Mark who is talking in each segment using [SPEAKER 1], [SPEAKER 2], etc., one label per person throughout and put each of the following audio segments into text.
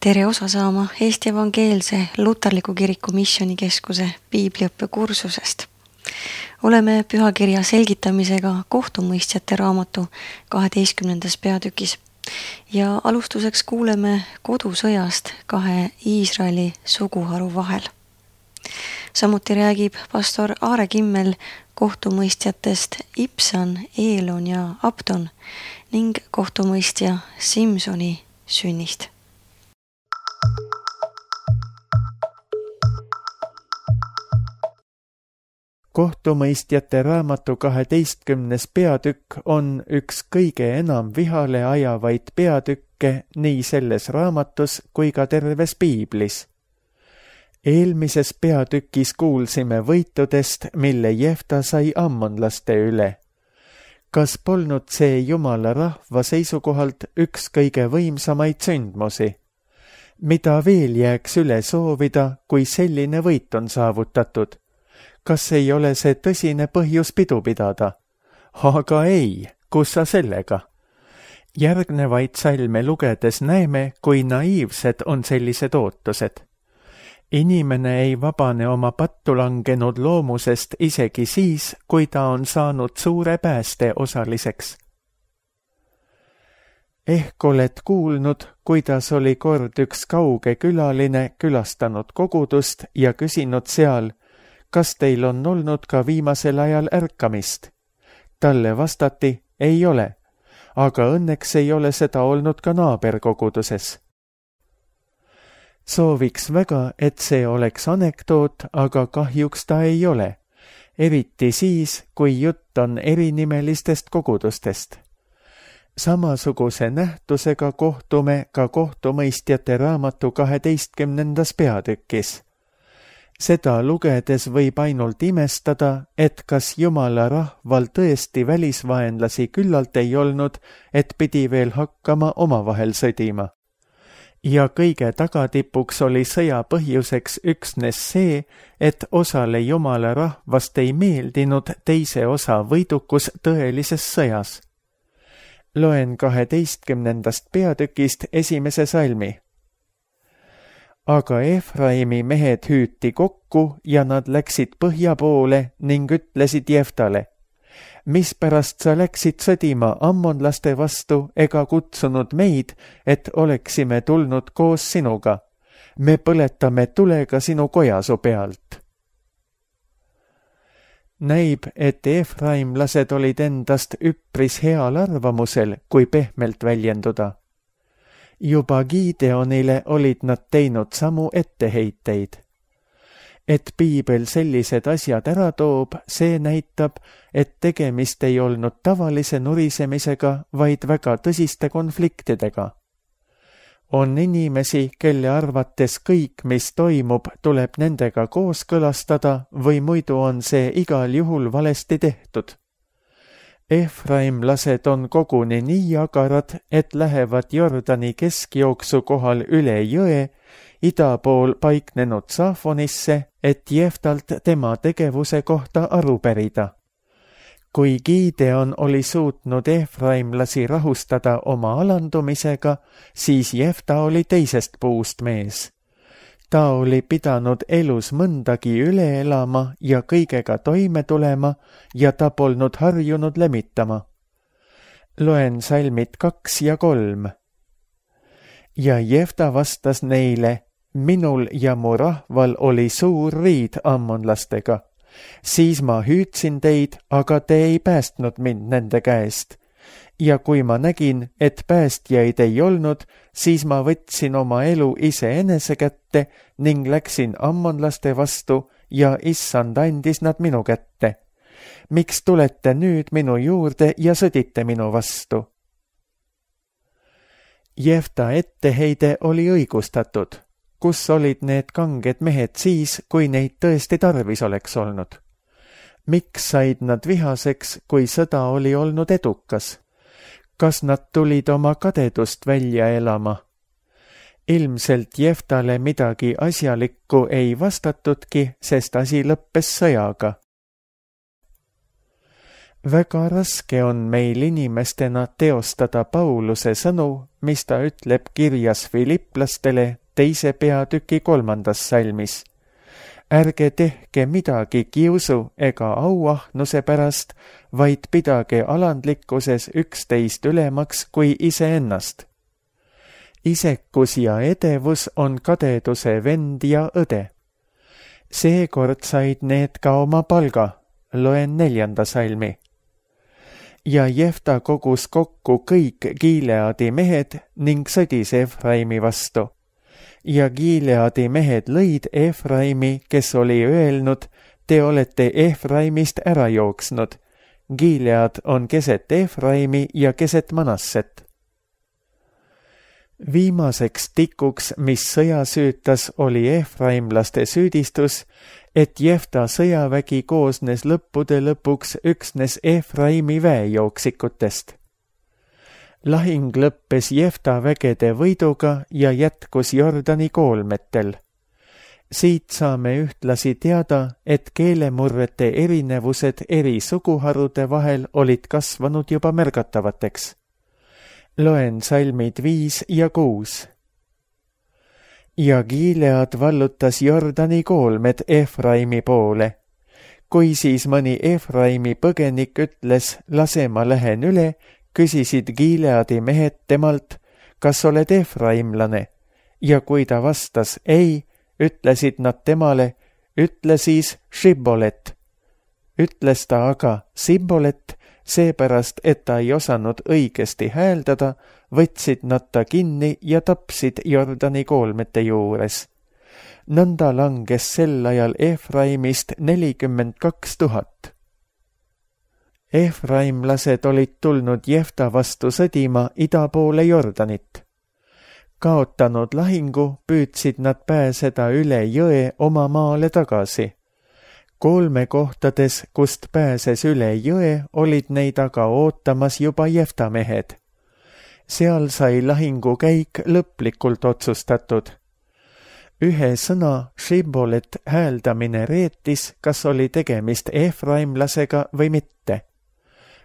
[SPEAKER 1] Tere osa saama Eesti Evangeelse Luterliku Kiriku Missioonikeskuse piibliõppekursusest. Oleme pühakirja selgitamisega kohtumõistjate raamatu 12. peatükis ja alustuseks kuuleme kodusõjast kahe Iisraeli suguharu vahel. Samuti räägib pastor Aare Kimmel kohtumõistjatest Ibsan, Eelon ja Abdon ning kohtumõistja Simsoni sünnist.
[SPEAKER 2] Kohtumõistjate raamatu 12. peatükk on üks kõige enam vihale ajavaid peatükke nii selles raamatus kui ka terves piiblis. Eelmises peatükis kuulsime võitudest, mille Jefta sai ammonlaste üle. Kas polnud see Jumala rahva seisukohalt üks kõige võimsamaid sündmusi? Mida veel jääks üle soovida, kui selline võit on saavutatud? Kas ei ole see tõsine põhjus pidu pidada? Aga ei, kus sa sellega? Järgnevaid salme lugedes näeme, kui naiivsed on sellised ootused. Inimene ei vabane oma pattu langenud loomusest isegi siis, kui ta on saanud suure pääste osaliseks. Ehk oled kuulnud, kuidas oli kord üks kauge külaline külastanud kogudust ja küsinud seal, kas teil on olnud ka viimasel ajal ärkamist? Talle vastati, ei ole, aga õnneks ei ole seda olnud ka naaberkoguduses. Sooviks väga, et see oleks anekdoot, aga kahjuks ta ei ole, eriti siis, kui jutt on erinimelistest kogudustest. Samasuguse nähtusega kohtume ka kohtumõistjate raamatu 12. peatükis. Seda lugedes võib ainult imestada, et kas Jumala rahval tõesti välisvaenlasi küllalt ei olnud, et pidi veel hakkama omavahel sõdima. Ja kõige tagatipuks oli sõja põhjuseks üksnes see, et osale Jumala rahvast ei meeldinud teise osa võidukus tõelises sõjas. Loen 12. peatükist esimese salmi. Aga Efraimi mehed hüüti kokku ja nad läksid põhja poole ning ütlesid Jeftale, mispärast sa läksid sõdima ammonlaste vastu ega kutsunud meid, et oleksime tulnud koos sinuga. Me põletame tulega sinu kojasu pealt. Näib, et efraimlased olid endast üpris heal arvamusel, kui pehmelt väljenduda. Juba Gideonile olid nad teinud samu etteheiteid. Et piibel sellised asjad ära toob, see näitab, et tegemist ei olnud tavalise nurisemisega, vaid väga tõsiste konfliktidega. On inimesi, kelle arvates kõik, mis toimub, tuleb nendega kooskõlastada või muidu on see igal juhul valesti tehtud. Efraimlased on koguni nii agarad, et lähevad Jordani keskjooksu kohal üle jõe, ida pool paiknenud Saafonisse, et Jeftalt tema tegevuse kohta aru pärida. Kui Gideon oli suutnud efraimlasi rahustada oma alandumisega, siis Jefta oli teisest puust mees. Ta oli pidanud elus mõndagi üle elama ja kõigega toime tulema ja ta polnud harjunud lemitama. Loen salmid 2 ja 3. Ja Jefta vastas neile, minul ja mu rahval oli suur riid ammonlastega. Siis ma hüüdsin teid, aga te ei päästnud mind nende käest. Ja kui ma nägin, et päästjaid ei olnud, siis ma võtsin oma elu iseenese kätte ning läksin ammonlaste vastu ja issand andis nad minu kätte. Miks tulete nüüd minu juurde ja sõdite minu vastu? Jefta etteheide oli õigustatud. Kus olid need kanged mehed siis, kui neid tõesti tarvis oleks olnud? Miks said nad vihaseks, kui sõda oli olnud edukas? Kas nad tulid oma kadedust välja elama? Ilmselt Jeftale midagi asjalikku ei vastatudki, sest asi lõppes sõjaga. Väga raske on meil inimestena teostada Pauluse sõnu, mis ta ütleb kirjas Filipplastele 2. peatüki 3. salmis. Ärge tehke midagi kiusu ega auahnuse pärast, vaid pidage alandlikkuses üksteist ülemaks kui iseennast. Isekus ja edevus on kadeduse vend ja õde. Seekord said need ka oma palga, loen 4. salmi. Ja Jefta kogus kokku kõik Gileadi mehed ning sõdis Efraimi vastu. Ja Gileadi mehed lõid Efraimi, kes oli öelnud, te olete Efraimist ära jooksnud. Gilead on keset Efraimi ja keset Manasset. Viimaseks tikuks, mis sõja süütas, oli efraimlaste süüdistus, et Jefta sõjavägi koosnes lõppude lõpuks üksnes Efraimi väejooksikutest. Lahing lõppes Jefta vägede võiduga ja jätkus Jordani koolmetel. Siit saame ühtlasi teada, et keelemurrete erinevused eri suguharude vahel olid kasvanud juba märgatavateks. Loen salmid 5 ja 6. Ja Gilead vallutas Jordani koolmed Efraimi poole. Kui siis mõni Efraimi põgenik ütles, lase ma lähen üle, küsisid Gileadi mehed temalt, kas oled efraimlane? Ja kui ta vastas ei, ütlesid nad temale, ütle siis Šibolet. Ütles ta aga Sibolet, seepärast, et ta ei osanud õigesti hääldada, võtsid nad ta kinni ja tapsid Jordani koolmete juures. Nõnda langes sel ajal Efraimist 42 000. Efraimlased olid tulnud Jefta vastu sõdima ida poole Jordanit. Kaotanud lahingu püüdsid nad pääseda üle jõe oma maale tagasi. Kolmekohtades, kust pääses üle jõe, olid neid aga ootamas juba Jefta mehed. Seal sai lahingu käik lõplikult otsustatud. Ühe sõna Šibolet hääldamine reetis, kas oli tegemist efraimlasega või mitte.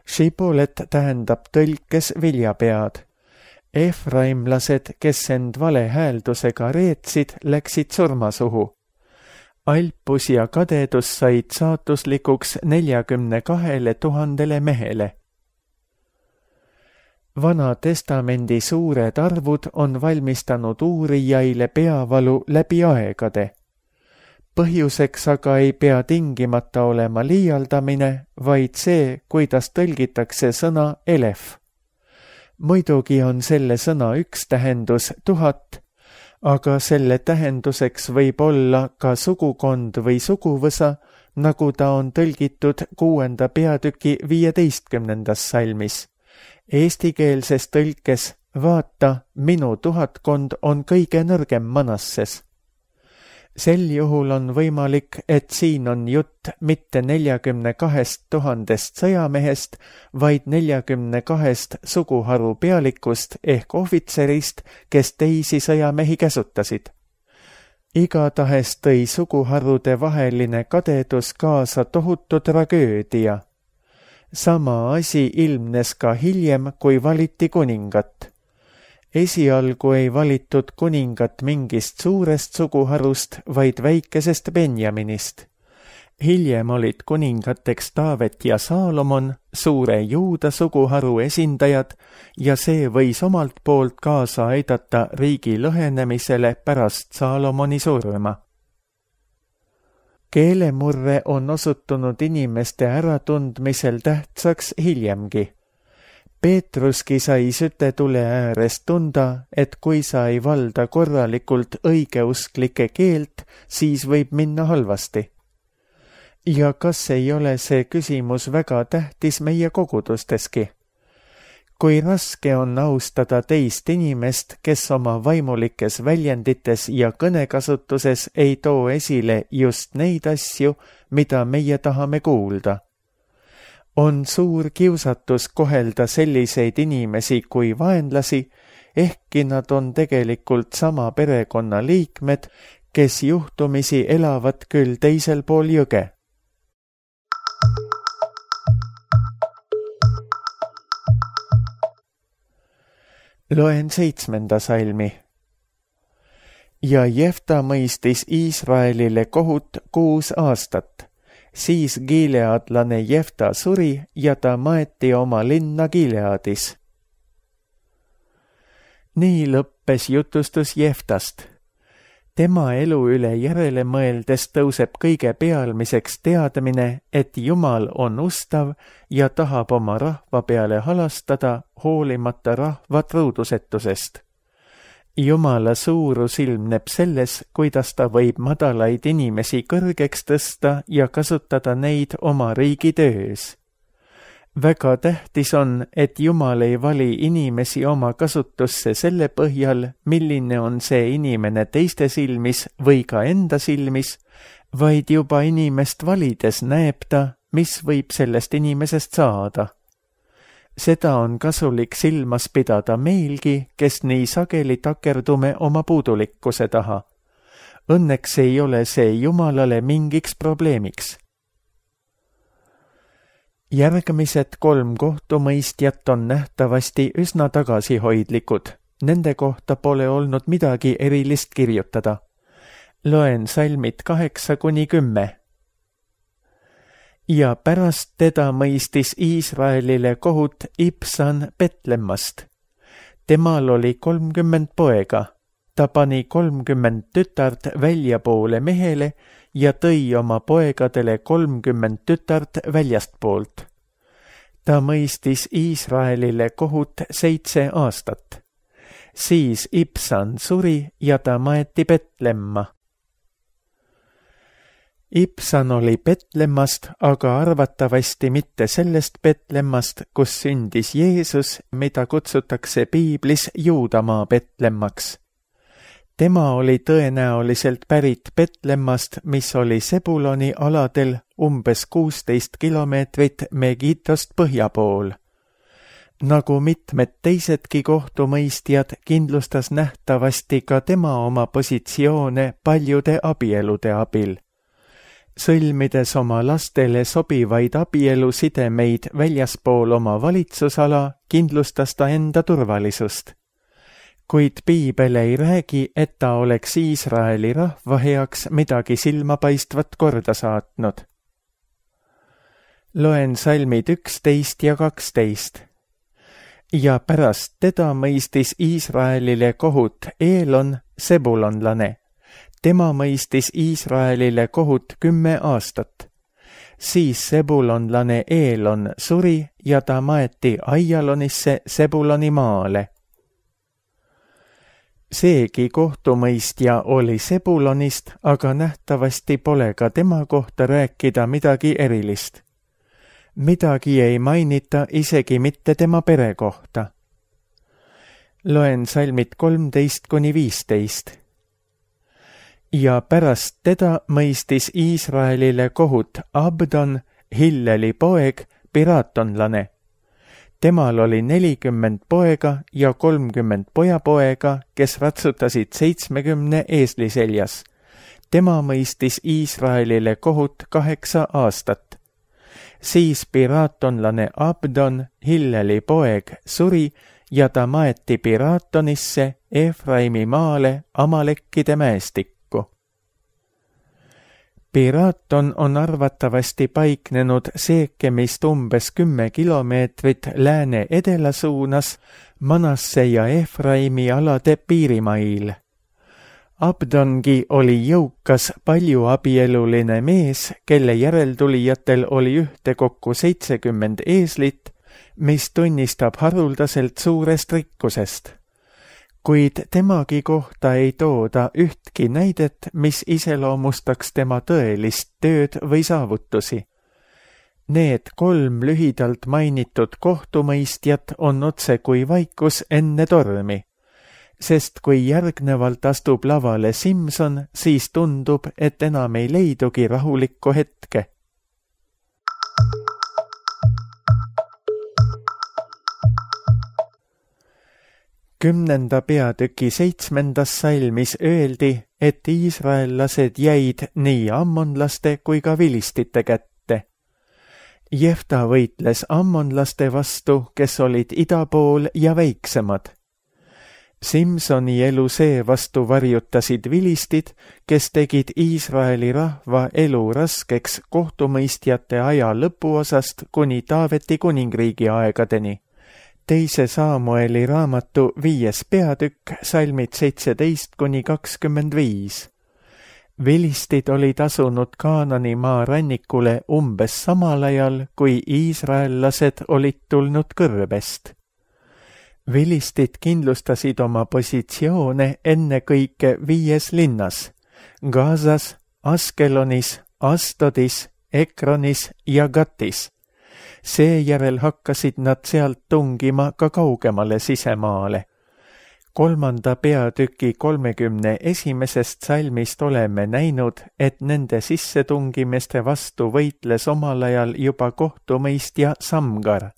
[SPEAKER 2] Šibolet tähendab tõlkes viljapead. Efraimlased, kes end vale hääldusega reetsid, läksid surmasuhu. Alpus ja kadedus said saatuslikuks 42 000 mehele. Vana testamendi suured arvud on valmistanud uurijaile peavalu läbi aegade. Põhjuseks aga ei pea tingimata olema liialdamine, vaid see, kuidas tõlgitakse sõna elef. Muidugi on selle sõna üks tähendus 1000, aga selle tähenduseks võib olla ka sugukond või suguvõsa, nagu ta on tõlgitud 6. peatüki 15. salmis. Eestikeelses tõlkes vaata, minu 1000 on kõige nõrgem Manasses. Sel juhul on võimalik, et siin on jutt mitte 42 000 sõjamehest, vaid 42 suguharu pealikust ehk ohvitserist, kes teisi sõjamehi käsutasid. Igatahes tõi suguharude vaheline kadedus kaasa tohutu tragöödia. Sama asi ilmnes ka hiljem, kui valiti kuningat. Esialgu ei valitud kuningat mingist suurest suguharust, vaid väikesest Benjaminist. Hiljem olid kuningateks Taavet ja Saalomon, suure Juuda suguharu esindajad, ja see võis omalt poolt kaasa aidata riigi lõhenemisele pärast Saalomoni surma. Keelemurre on osutunud inimeste äratundmisel tähtsaks hiljemgi. Peetruski sai sütetule ääres tunda, et kui sa ei valda korralikult õigeusklike keelt, siis võib minna halvasti. Ja kas ei ole see küsimus väga tähtis meie kogudusteski? Kui raske on austada teist inimest, kes oma vaimulikes väljendites ja kõnekasutuses ei too esile just neid asju, mida meie tahame kuulda. On suur kiusatus kohelda selliseid inimesi kui vaenlasi, ehkki nad on tegelikult sama perekonna liikmed, kes juhtumisi elavad küll teisel pool jõge. Loen 7. salmi. Ja Jefta mõistis Iisraelile kohut 6 aastat. Siis gileadlane Jefta suri ja ta maeti oma linna Gileadis. Nii lõppes jutustus Jeftast. Tema elu üle järele mõeldes tõuseb kõige pealmiseks teadmine, et Jumal on ustav ja tahab oma rahva peale halastada hoolimata rahva truudusetusest. Jumala suurus ilmneb selles, kuidas ta võib madalaid inimesi kõrgeks tõsta ja kasutada neid oma riigi töös. Väga tähtis on, et Jumal ei vali inimesi oma kasutusse selle põhjal, milline on see inimene teiste silmis või ka enda silmis, vaid juba inimest valides näeb ta, mis võib sellest inimesest saada. Seda on kasulik silmas pidada meilgi, kes nii sageli takerdume oma puudulikkuse taha. Õnneks ei ole see Jumalale mingiks probleemiks. Järgmised 3 kohtumõistjat on nähtavasti üsna tagasihoidlikud. Nende kohta pole olnud midagi erilist kirjutada. Loen salmid 8-10. Ja pärast teda mõistis Iisraelile kohut Ibsan Betlemmast. Temal oli 30 poega. Ta pani 30 tütart väljapoole mehele ja tõi oma poegadele 30 tütart väljastpoolt. Ta mõistis Iisraelile kohut 7 aastat. Siis Ibsan suri ja ta maeti Betlemma. Ibsan oli Betlemmast, aga arvatavasti mitte sellest Betlemmast, kus sündis Jeesus, mida kutsutakse piiblis Juudamaa Betlemmaks. Tema oli tõenäoliselt pärit Betlemmast, mis oli Sebuloni aladel umbes 16 kilomeetrit Megiddost põhja pool. Nagu mitmed teisedki kohtumõistjad, kindlustas nähtavasti ka tema oma positsioone paljude abielude abil. Sõlmides oma lastele sobivaid abielusidemeid väljaspool oma valitsusala, kindlustas ta enda turvalisust. Kuid piibel ei räägi, et ta oleks Iisraeli rahva heaks midagi silmapaistvat korda saatnud. Loen salmid 11 ja 12. Ja pärast teda mõistis Iisraelile kohut Eelon, sebulonlane. Tema mõistis Iisraelile kohut 10 aastat. Siis sebulonlane Eelon suri ja ta maeti Aialonisse Sebuloni maale. Seegi kohtumõistja oli Sebulonist, aga nähtavasti pole ka tema kohta rääkida midagi erilist. Midagi ei mainita isegi mitte tema pere kohta. Loen salmid 13-15. Ja pärast teda mõistis Iisraelile kohut Abdon, Hilleli poeg, piraatonlane. Temal oli 40 poega ja 30 pojapoega, kes ratsutasid 70 eesli seljas. Tema mõistis Iisraelile kohut 8 aastat. Siis piraatonlane Abdon, Hilleli poeg, suri ja ta maeti Piraatonisse, Efraimi maale, Amalekkide mäestikku. Piraaton on arvatavasti paiknenud Seekemist umbes 10 kilomeetrit lääne-edela suunas Manasse ja Efraimi alade piirimail. Abdongi oli jõukas paljuabieluline mees, kelle järeltulijatel oli ühtekokku 70 eeslit, mis tunnistab haruldaselt suurest rikkusest. Kuid temagi kohta ei tooda ühtki näidet, mis iseloomustaks tema tõelist tööd või saavutusi. Need 3 lühidalt mainitud kohtumõistjat on otse kui vaikus enne tormi, sest kui järgnevalt astub lavale Simson, siis tundub, et enam ei leidugi rahulikku hetke. Kümnenda peatüki 7. salmis öeldi, et iisraellased jäid nii ammonlaste kui ka vilistite kätte. Jefta võitles ammonlaste vastu, kes olid ida pool ja väiksemad. Simsoni elu seevastu varjutasid vilistid, kes tegid Iisraeli rahva elu raskeks kohtumõistjate aja lõpuosast kuni Taaveti kuningriigi aegadeni. 2. Saamueli raamatu 5. peatükk, salmid 17–25. Vilistid olid asunud Kaanani maa rannikule umbes samal ajal, kui iisraellased olid tulnud kõrbest. Vilistid kindlustasid oma positsioone ennekõike 5 linnas: Gazas, Askelonis, Astodis, Ekronis ja Gatis. Seejärel hakkasid nad sealt tungima ka kaugemale sisemaale. 3. peatüki 31. salmist oleme näinud, et nende sissetungimiste vastu võitles omal ajal juba kohtumõistja Samgar.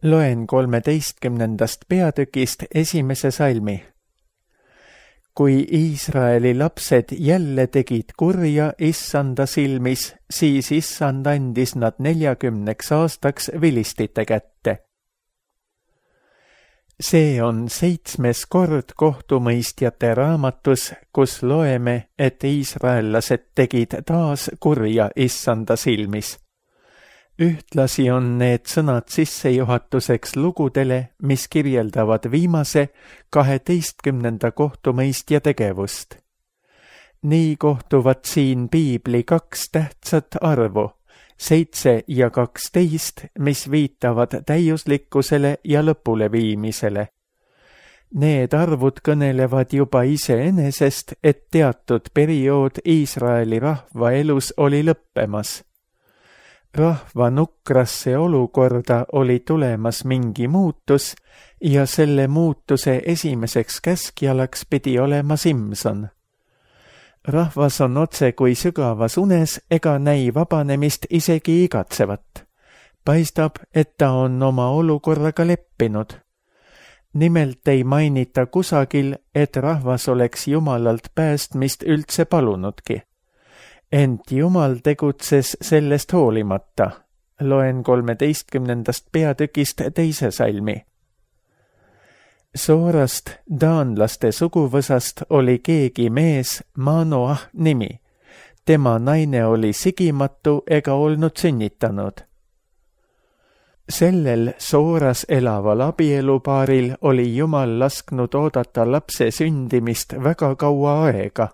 [SPEAKER 2] Loen 13. peatükist 1. salmi. Kui Iisraeli lapsed jälle tegid kurja issanda silmis, siis issand andis nad 40 aastaks vilistite kätte. See on 7. kord kohtumõistjate raamatus, kus loeme, et iisraellased tegid taas kurja issanda silmis. Ühtlasi on need sõnad sissejuhatuseks lugudele, mis kirjeldavad viimase 12. kohtumõistja tegevust. Nii kohtuvad siin piibli 2 tähtsat arvu, 7 ja 12, mis viitavad täiuslikkusele ja lõpuleviimisele. Need arvud kõnelevad juba iseenesest, et teatud periood Iisraeli rahva elus oli lõppemas. Rahva nukrasse olukorda oli tulemas mingi muutus ja selle muutuse esimeseks käskjalaks pidi olema Simson. Rahvas on otse kui sügavas unes ega näi vabanemist isegi igatsevat. Paistab, et ta on oma olukorraga leppinud. Nimelt ei mainita kusagil, et rahvas oleks Jumalalt päästmist üldse palunudki. Ent Jumal tegutses sellest hoolimata. Loen 13. peatükist 2. salmi. Soorast, daanlaste suguvõsast, oli keegi mees, Manoah nimi. Tema naine oli sigimatu ega olnud sünnitanud. Sellel Sooras elaval abielupaaril oli Jumal lasknud oodata lapse sündimist väga kaua aega.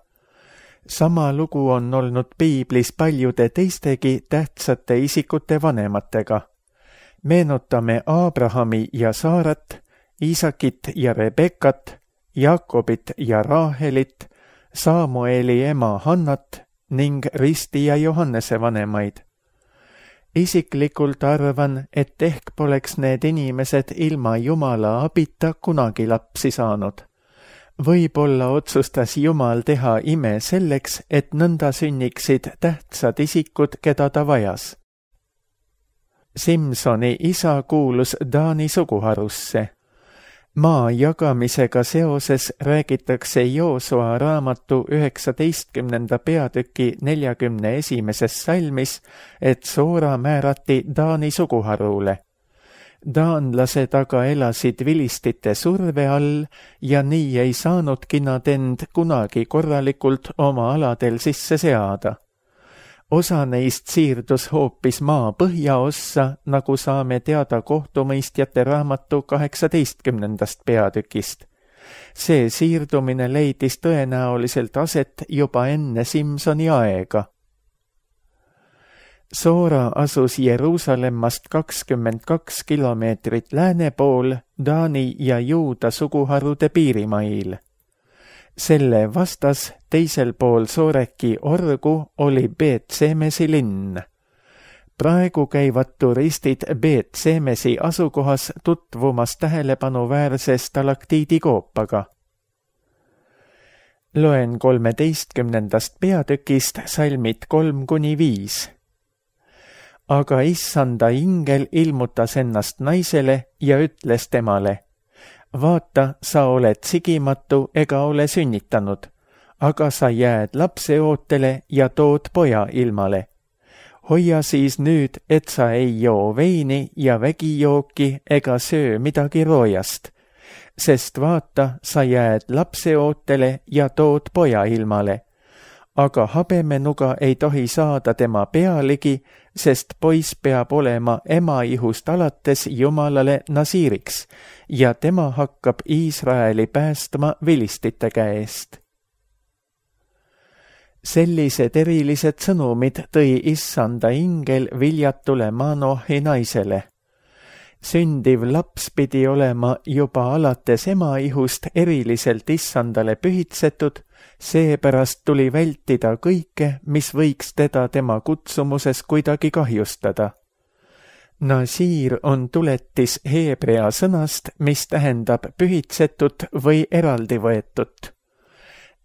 [SPEAKER 2] Sama lugu on olnud piiblis paljude teistegi tähtsate isikute vanematega. Meenutame Abrahami ja Saarat, Iisakit ja Rebekat, Jaakobit ja Raahelit, Saamueli ema Hannat ning Risti ja Johannese vanemaid. Isiklikult arvan, et ehk poleks need inimesed ilma Jumala abita kunagi lapsi saanud. Võib-olla otsustas Jumal teha ime selleks, et nõnda sünniksid tähtsad isikud, keda ta vajas. Simsoni isa kuulus Daani suguharusse. Maa jagamisega seoses räägitakse Joosua raamatu 19. peatüki 41. salmis, et Soora määrati Daani suguharule. Daanlased aga elasid vilistite surve all ja nii ei saanudki nad end kunagi korralikult oma aladel sisse seada. Osa neist siirdus hoopis maa põhjaossa, nagu saame teada kohtumõistjate raamatu 18. peatükist. See siirdumine leidis tõenäoliselt aset juba enne Simsoni aega. Soora asus Jeruusalemmast 22 kilomeetrit lääne pool Daani ja Juuda suguharude piirimail. Selle vastas teisel pool Sooreki orgu oli Beet-Semesi linn. Praegu käivad turistid Beet-Semesi asukohas tutvumas tähelepanuväärse stalaktiidikoopaga. Loen 13. peatükist salmid 3–5. Aga issanda ingel ilmutas ennast naisele ja ütles temale: vaata, sa oled sigimatu ega ole sünnitanud, aga sa jääd lapseootele ja tood poja ilmale. Hoia siis nüüd, et sa ei joo veini ja vägijooki ega söö midagi roojast, sest vaata, sa jääd lapseootele ja tood poja ilmale. Aga habemenuga ei tohi saada tema pealegi, sest poiss peab olema ema ihust alates Jumalale nasiiriks ja tema hakkab Iisraeli päästma vilistite käest. Sellised erilised sõnumid tõi issanda ingel viljatule Manoahi naisele. Sündiv laps pidi olema juba alates ema ihust eriliselt issandale pühitsetud, seepärast tuli vältida kõike, mis võiks teda tema kutsumuses kuidagi kahjustada. Nasiir on tuletis heebrea sõnast, mis tähendab pühitsetut või eraldi võetut.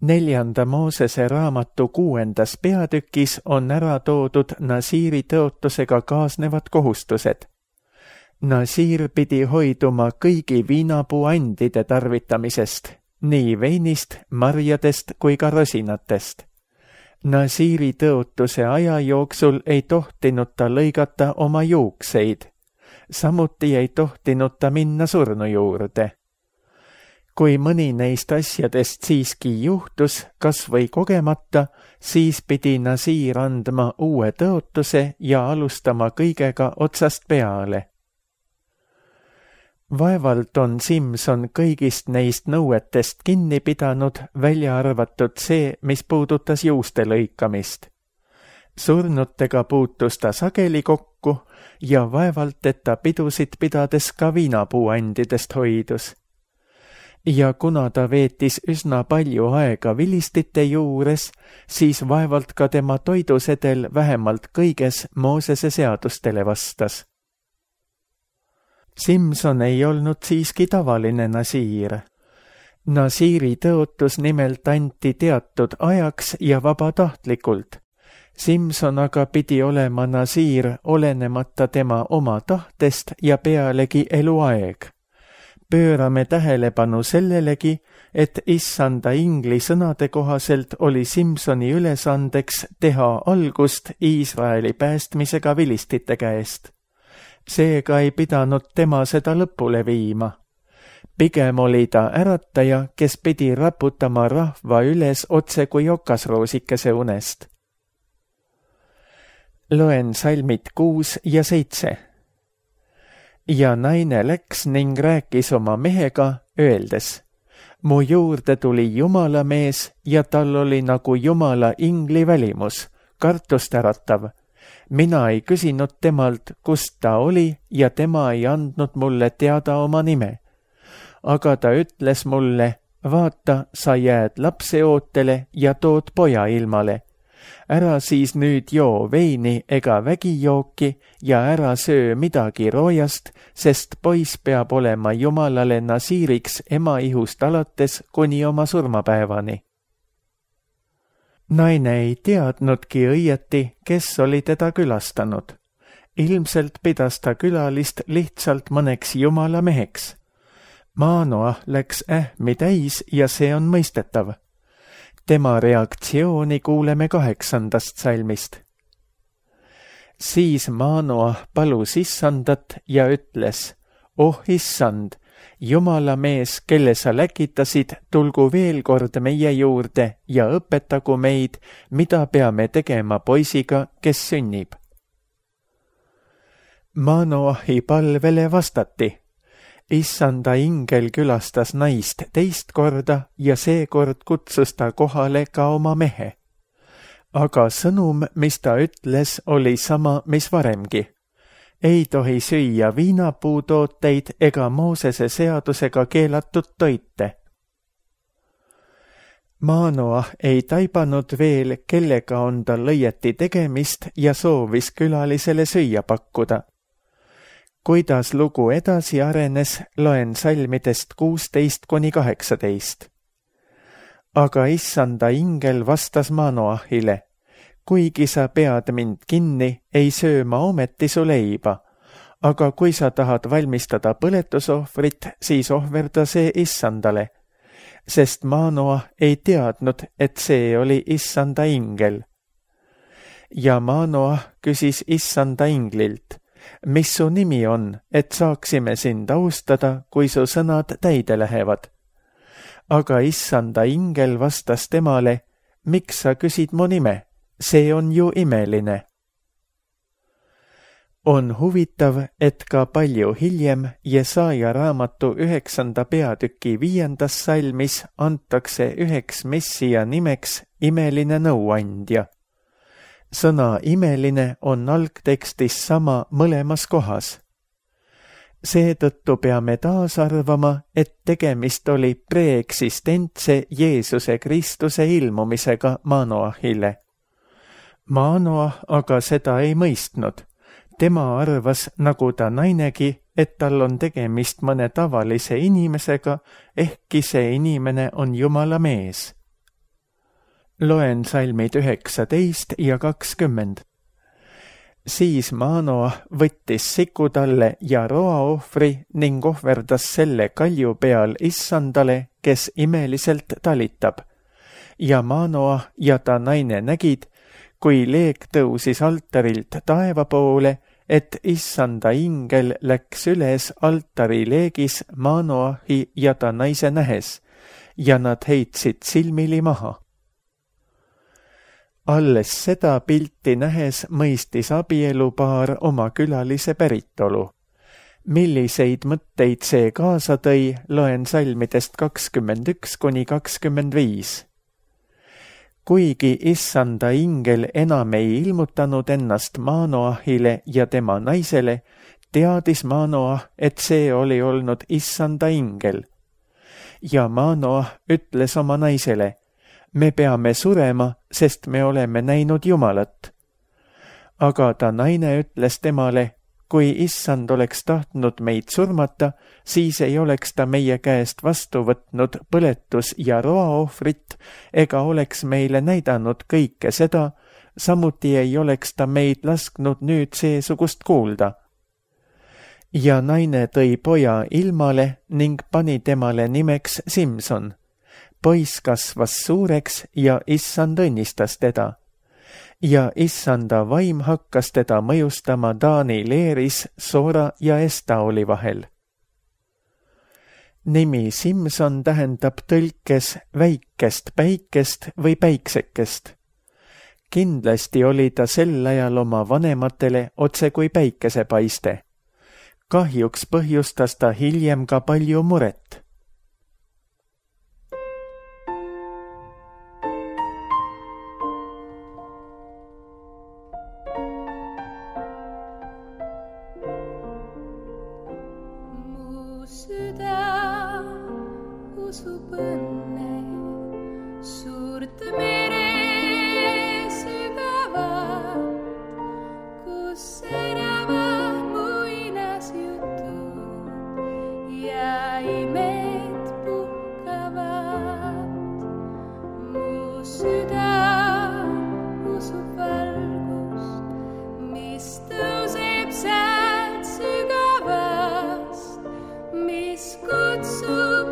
[SPEAKER 2] 4. Moosese raamatu 6. peatükis on ära toodud Nasiiri tõotusega kaasnevad kohustused. Nasiir pidi hoiduma kõigi viinapuuandide tarvitamisest, nii veinist, marjadest kui ka rosinatest. Nasiiri tõotuse aja jooksul ei tohtinud ta lõigata oma juukseid, samuti ei tohtinud ta minna surnu juurde. Kui mõni neist asjadest siiski juhtus, kas või kogemata, siis pidi Nasiir andma uue tõotuse ja alustama kõigega otsast peale. Vaevalt on Simson kõigist neist nõuetest kinni pidanud, välja arvatud see, mis puudutas juuste lõikamist. Surnutega puutus ta sageli kokku ja vaevalt, et ta pidusid pidades ka viinapuuandidest hoidus. Ja kuna ta veetis üsna palju aega vilistite juures, siis vaevalt ka tema toidusedel vähemalt kõiges Moosese seadustele vastas. Simson ei olnud siiski tavaline nasiir. Nasiiri tõotus nimelt anti teatud ajaks ja vabatahtlikult. Simson aga pidi olema nasiir olenemata tema oma tahtest ja pealegi eluaeg. Pöörame tähelepanu sellelegi, et issanda ingli sõnade kohaselt oli Simsoni ülesandeks teha algust Iisraeli päästmisega vilistite käest. Seega ei pidanud tema seda lõpule viima. Pigem oli ta ärataja, kes pidi raputama rahva üles otse kui okasroosikese unest. Loen salmid 6 ja 7. Ja naine läks ning rääkis oma mehega, öeldes, mu juurde tuli Jumala mees ja tal oli nagu Jumala ingli välimus, kartust äratav. Mina ei küsinud temalt, kust ta oli ja tema ei andnud mulle teada oma nime. Aga ta ütles mulle, vaata, sa jääd lapseootele ja tood poja ilmale. Ära siis nüüd joo veini ega vägijooki ja ära söö midagi roojast, sest poiss peab olema Jumalale nasiiriks ema ihust alates kuni oma surmapäevani. Naine ei teadnudki õieti, kes oli teda külastanud. Ilmselt pidas ta külalist lihtsalt mõneks Jumala meheks. Manoah läks ähmi täis ja see on mõistetav. Tema reaktsiooni kuuleme 8. salmist. Siis Manoah palus issandat ja ütles, oh issand, Jumala mees, kelle sa läkitasid, tulgu veel kord meie juurde ja õpetagu meid, mida peame tegema poisiga, kes sünnib. Manoahi palvele vastati. Issanda ingel külastas naist teist korda ja seekord kutsus ta kohale ka oma mehe. Aga sõnum, mis ta ütles, oli sama, mis varemgi. Ei tohi süüa viinapuutooteid ega Moosese seadusega keelatud toite. Manoah ei taibanud veel, kellega on tal õieti tegemist ja soovis külalisele süüa pakkuda. Kuidas lugu edasi arenes, loen salmidest 16-18. Aga issanda ingel vastas Manoahile, kuigi sa pead mind kinni, ei söö ma ometi su leiba, aga kui sa tahad valmistada põletusohvrit, siis ohverda see issandale, sest Manoah ei teadnud, et see oli issanda ingel. ja Manoah küsis issanda inglilt, mis su nimi on, et saaksime sind austada, kui su sõnad täide lähevad. Aga issanda ingel vastas temale, miks sa küsid mu nime, see on ju imeline. On huvitav, et ka palju hiljem Jesaja raamatu 9. peatüki 5. salmis antakse üheks messia nimeks imeline nõuandja. Sõna imeline on algtekstis sama mõlemas kohas. Seetõttu peame taas arvama, et tegemist oli preeksistentse Jeesuse Kristuse ilmumisega Manoahile. Manoah aga seda ei mõistnud. Tema arvas, nagu ta nainegi, et tal on tegemist mõne tavalise inimesega, ehkki see inimene on Jumala mees. Loen salmid 19 ja 20. Siis Manoah võttis sikutalle ja roaohvri ning ohverdas selle kalju peal issandale, kes imeliselt talitab. Ja Manoah ja ta naine nägid, kui leek tõusis altarilt taeva poole, et issanda ingel läks üles altari leegis Manoahi ja ta naise nähes, ja nad heitsid silmili maha. Alles seda pilti nähes mõistis abielupaar oma külalise päritolu. Milliseid mõtteid see kaasa tõi, loen salmidest 21–25. Kuigi issanda ingel enam ei ilmutanud ennast Manoahile ja tema naisele, teadis Manoah, et see oli olnud issanda ingel. Ja Manoah ütles oma naisele, me peame surema, sest me oleme näinud Jumalat. Aga ta naine ütles temale, kui issand oleks tahtnud meid surmata, siis ei oleks ta meie käest vastu võtnud põletus- ja roaohvrit ega oleks meile näidanud kõike seda, samuti ei oleks ta meid lasknud nüüd seesugust kuulda. Ja naine tõi poja ilmale ning pani temale nimeks Simson. Poiss kasvas suureks ja issand õnnistas teda. Ja issanda vaim hakkas teda mõjustama Taani leeris Soora ja Estaoli vahel. Nimi Simson tähendab tõlkes väikest päikest või päiksekest. Kindlasti oli ta sel ajal oma vanematele otse kui päikesepaiste. Kahjuks põhjustas ta hiljem ka palju muret.
[SPEAKER 3] Usub õnne, suurt mere sügavat, kus säravad muinasjutud ja imed puhkavad. Mu süda usub valgust, mis tõuseb sealt sügavast, mis kutsub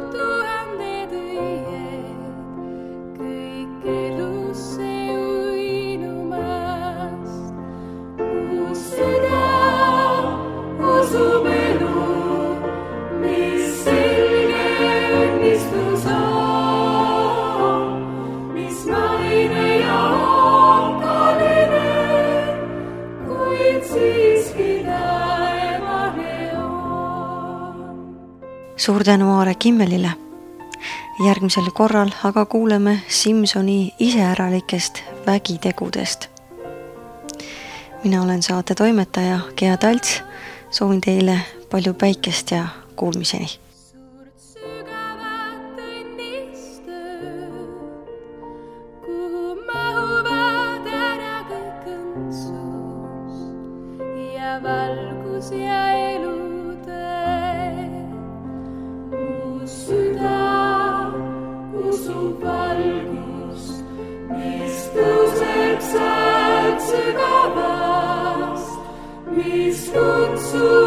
[SPEAKER 1] Suur tänu Aare Kimmelile. Järgmisel korral aga kuuleme Simsoni iseäralikest vägitegudest. Mina olen saate toimetaja Gea Talts. Soovin teile palju päikest ja kuulmiseni.
[SPEAKER 3] Valgus ja elutöö. Mu süda usub valgust, mis tõuseb sealt sügavast, mis kutsub